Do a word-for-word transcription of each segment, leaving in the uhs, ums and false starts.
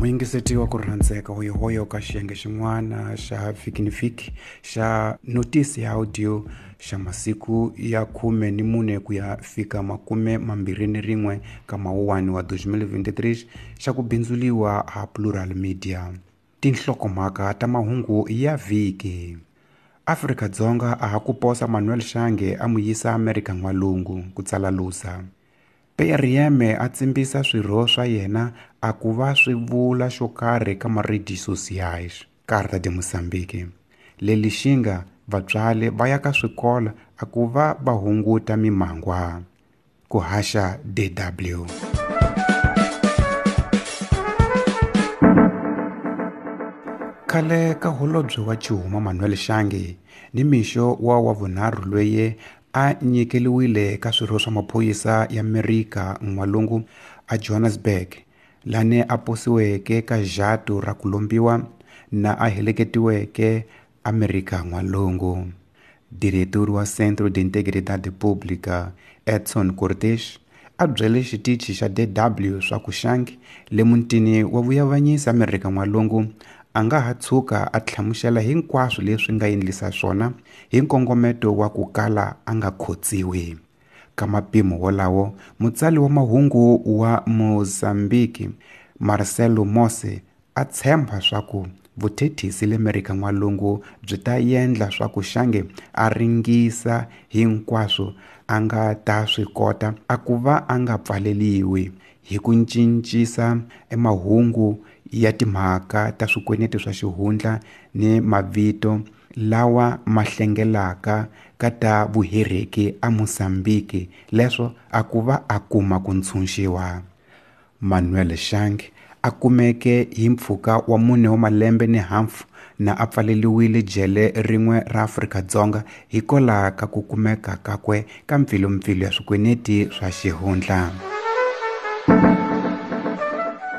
Muyingiseti wa ku rhandzeka hoyohoyo ka xiyenge xin'wana xa Vhiki ni Vhiki xa notisi ya audio xa masiku ya khume ni mune ku ya fika makume mambirhi ni rin'we ka Mawuwani wa twenty twenty-three xa ku bindzuliwa ha Plural Media. Tinhlokomhaka ta mahungu ya vhiki. Afrika-Dzonga a ha ku posa Manuel Shange a mu yisa Amerika N'walungu ku tsala Lusa. P R M a tsimbisa swirho swa yena a ku va swi vula xo karhi ka ma-redes sociais. Carta de Moçambique. Le Lixinga vatswari va ya ka swikolo a ku va va hunguta mimangwa. Ku haxa D W. Khale ka holobye wa Chuma Manuel Shange ni mixo wa wa vunharhu loyi a nyikeliwile ka swirho swa maphorisa ya Amerika N'walungu a Johannesburg lane a posiweke ka jatu ra ku lombiwa na a heleketiweke Amerika N'walungu. Diretor wa Centro de Integridade Pública Edson Cortez a byele xitichi xa D W swa ku Shange le mutini wa vuyavanyisi Amerika N'walungu a nga ha tshuka a hlamusela hinkwaswo leswi nga endlisa swona hi nkongometo wa ku kala a nga khotsiwi. Ka mapimo wolawo, mutsali wa mahungu wa Mozambique Marcelo Mose a tshemba swa ku vuthethisi le Amerika N'walungu byi ta endla swa ku Shange a ringisa hinkwaswo a nga ta swi kota a ku va a nga pfaleliwi hi ku cincisa emahungu ya timhaka ta swikweleti swa xihundla ni mavito lawa ma hlengelaka ka ta vuhereki a Mozambique leswo a ku va a kuma ku ntshunxiwa. Manuel Shange a kumeke hi mpfhuka wa mune wa malembe ni hafu na a pfaleliwile jele rin'we ra Afrika-Dzonga hikwalaho ka ku kumeka kakwe ka mpfilumpfilu ya swikweleti swa xihundla.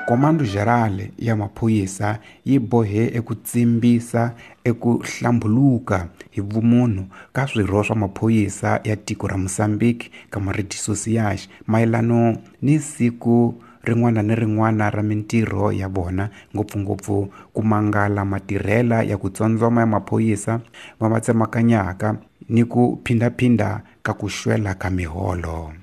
Comando Geral ya maphorisa yi bohe eku tsimbisa eku hlambuluka hi vumunhu ka swirho swa maphorisa ya tiko ra Mozambique ka ma-redes sociais mayelano ni siku rin'wana ni rin'wana ra mintirho ya vona, ngopfungopfu ku mangala matirhela ya ku tsondzoma ya maphorisa va va tsemakanyaka ni ku phindaphinda ka ku xwela ka miholo.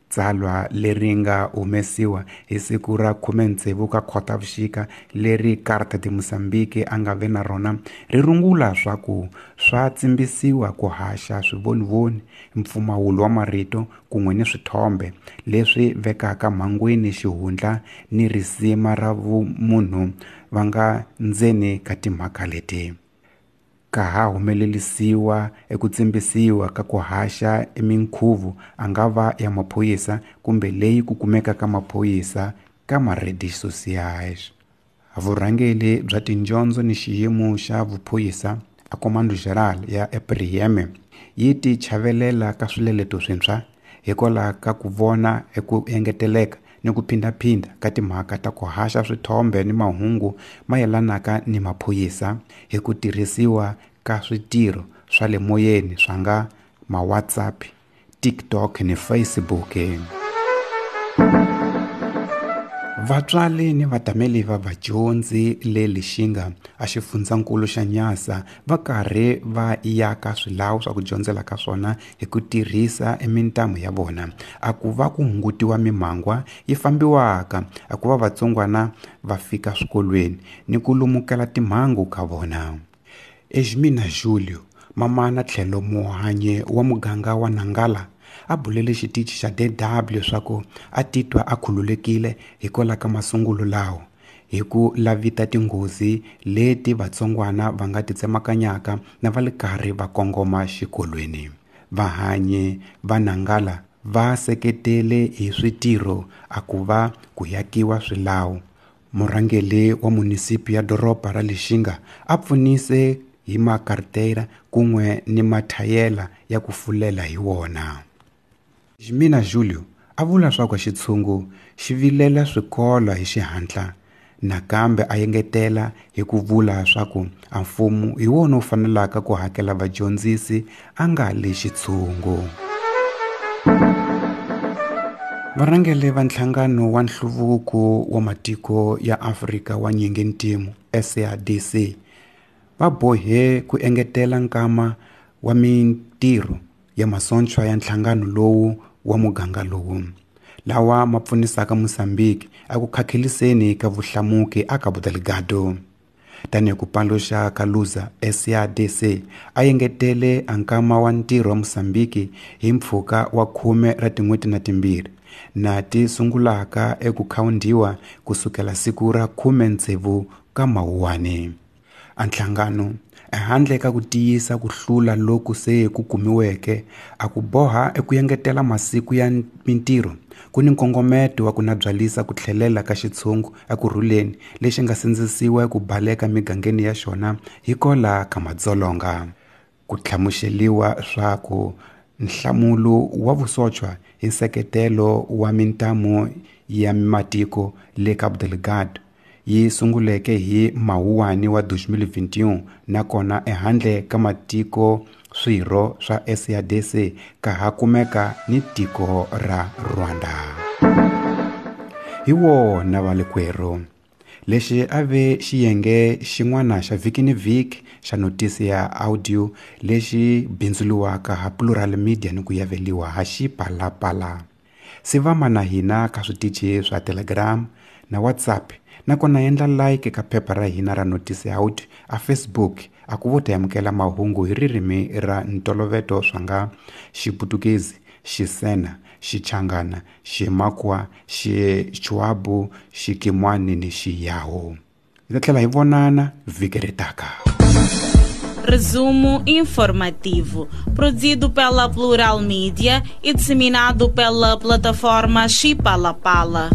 Tsalwa leri nga humesiwa hi siku ra khume tsevu ka Khotavuxika leri Carta de Moçambique a nga ve na rona ri rungula swa ku swa tsimbisiwa ku haxa swivonivoni, mpfumawulo wa marito kun'we ni swithombe leswi vekaka mhangwini xihundla ni risima ra vumunhu va nga ndzeni ka timhaka leti. Ka ha humelerisiwa eku tsimbisiwa ka ku haxa eminkhuvo a nga va ya maphorisa kumbe leyi ku kumeka ka maphorisa ka ma-redes sociais. Vurhangeri bya tidyondzo ni xiyimo xa vuphorisa a Comando Geral ya E P R M yi ti chavelela ka swileleto swintshwa hikwalaho ka ku vona eku engeteleka ni ku phindaphinda ka timhaka ta ku haxa swithombe ni mahungu mayelanaka ni maphorisa hi ku tirhisiwa ka switirho swa le moyeni swa nga ma-WhatsApp, TikTok ni Facebook. Vatswari ni vatameli va vadyondzi le Lixinga a xifundzankulu xa Nyasa va karhi va yaka swilawu swa ku dyondzela ka swona hi ku tirhisa emintamu ya vona a ku va ku hungutiwa mimangwa yi fambiwaka a ku va vatsongwana va fika swikolweni ni ku lumukela timhangu ka vona. Esmina Julio, mamana tlhelo muhanye wa muganga wa Nangala, a bulele xitichi xa D W leswaku a titwa a khululekile hikwalaho ka masungulo lawo hi ku lavita tinghozi leti vatsongwana va nga ti tsemakanyaka na va le karhi va kongoma xikolweni. Vahanyi va Nangala va seketele hi switirho a ku va ku yakiwa swilawu. Murhangeri wa munisipi ya doroba ra Lixinga a pfunise hi makartera kun'we ni mathayela ya ku fulela hi wona. Jimina Julio a vula swa ku xitshungu xi vilela swikolo hi xihatla nakambe a engetela hi ku vula swa ku a mfumo hi wona wu fanelaka ku hakela vadyondzisi a nga le xitshungu. Varhangeri va nhlangano wa nhluvuko wa matiko ya Afrika wa nyingintimu S A D C va bohe ku engetela nkama wa mintirho ya masocha ya nhlangano lowu wa muganga lowu lawa ma pfunisaka Mozambique a ku khakheliseni ka vuhlamuki a Cabo Delgado. Tanihi ku paluxa ka Luza, S A D C a engetele a nkama wa ntirho wa Mozambique hi mpfhuka wa khume ra tin'hweti na timbirhi na ti sungulaka eku khawundiwa kusukela siku ra khume ntsevu ka Mawuwani. A nhlangano ehandle ka ku tiyisa ku hlula loku se ku kumiweke a ku boha eku engetela masiku ya mintirho ku ni nkongometo wa ku nabyalisa ku tlhelela ka xitshungu ekurhuleni lexi nga sindzisiwa ku baleka migangeni ya xona hikola ka madzolonga. Ku hlamuseliwa swa ku nhlamulo wa vusochwa hi nseketelo wa mintamu ya matiko le Cabo Delgado yi sunguleke hi Mawuwani wa twenty twenty-one nakona ehandle ka matiko swirho swa S A D C ka ha kumeka ni tiko ra Rwanda. Hi wona valekwerhu lexi a ve xiyenge xin'wana xa vhiki ni vhiki xa notisi ya audio lexi bindzuriwaka ha Plural Media ni ku yaveliwa ha Xipalapala. Sivama na hina ka switichi swa Telegram na WhatsApp nakona endla like ka phepha ra hina ra notisi ya audio a Facebook a ku vo ta amukela mahungu hi ririmi ra ntoloveto swa nga Xiputukezi, Xisena, Xichangana, Ximakwa, Xichuabu, Xikimwani ni Xiyaho. Hi ta tlhela hi vonana vhiki ri taka. Resumo informativo, produzido pela Plural Mídia e disseminado pela plataforma Xipalapala.